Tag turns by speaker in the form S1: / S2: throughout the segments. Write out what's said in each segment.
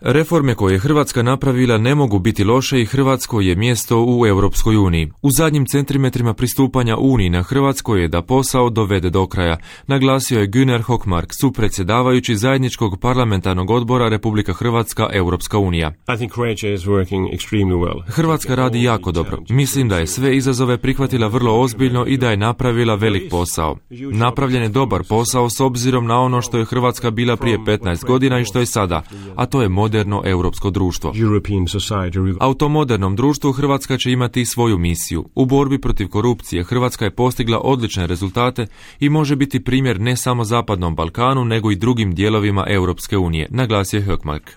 S1: Reforme koje je Hrvatska napravila ne mogu biti loše i Hrvatskoj je mjesto u Europskoj uniji. U zadnjim centimetrima pristupanja Uniji na Hrvatskoj je da posao dovede do kraja, naglasio je Gunnar Hökmark, supredsjedavajući zajedničkog parlamentarnog odbora Republika Hrvatska Europska unija. Hrvatska radi jako dobro. Mislim da je sve izazove prihvatila vrlo ozbiljno i da je napravila velik posao. Napravljen je dobar posao s obzirom na ono što je Hrvatska bila prije 15 godina i što je sada, a to je moderno europsko društvo. A u tom modernom društvu Hrvatska će imati svoju misiju. U borbi protiv korupcije Hrvatska je postigla odlične rezultate i može biti primjer ne samo Zapadnom Balkanu, nego i drugim dijelovima Europske unije, naglasio je Hökmark.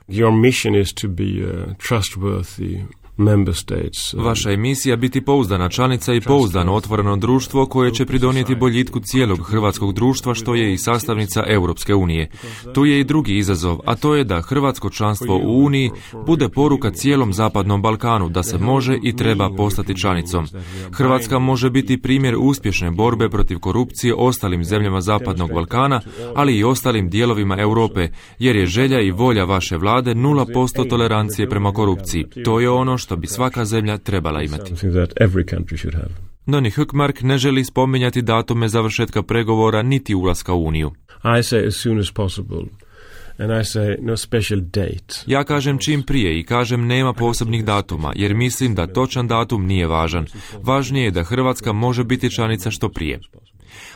S1: Vaša je misija biti pouzdana članica i pouzdano otvoreno društvo koje će pridonijeti boljitku cijelog hrvatskog društva, što je i sastavnica Europske unije. Tu je i drugi izazov, a to je da hrvatsko članstvo u Uniji bude poruka cijelom Zapadnom Balkanu da se može i treba postati članicom. Hrvatska može biti primjer uspješne borbe protiv korupcije ostalim zemljama Zapadnog Balkana, ali i ostalim dijelovima Europe, jer je želja i volja vaše vlade 0% tolerancije prema korupciji. To je ono što bi svaka zemlja trebala imati. No ni Hökmark ne želi spominjati datume završetka pregovora niti ulaska u Uniju. Ja kažem čim prije i kažem nema posebnih datuma, jer mislim da točan datum nije važan. Važnije je da Hrvatska može biti članica što prije.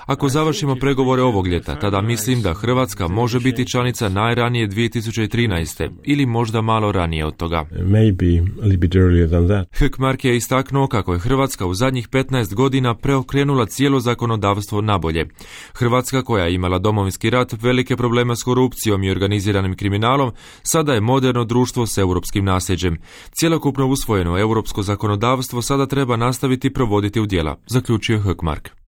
S1: Ako završimo pregovore ovog ljeta, tada mislim da Hrvatska može biti članica najranije 2013. ili možda malo ranije od toga. Hökmark je istaknuo kako je Hrvatska u zadnjih 15 godina preokrenula cijelo zakonodavstvo nabolje. Hrvatska, koja je imala Domovinski rat, velike probleme s korupcijom i organiziranim kriminalom, sada je moderno društvo s europskim nasljeđem. Cjelokupno usvojeno europsko zakonodavstvo sada treba nastaviti provoditi u djela, zaključio Hökmark.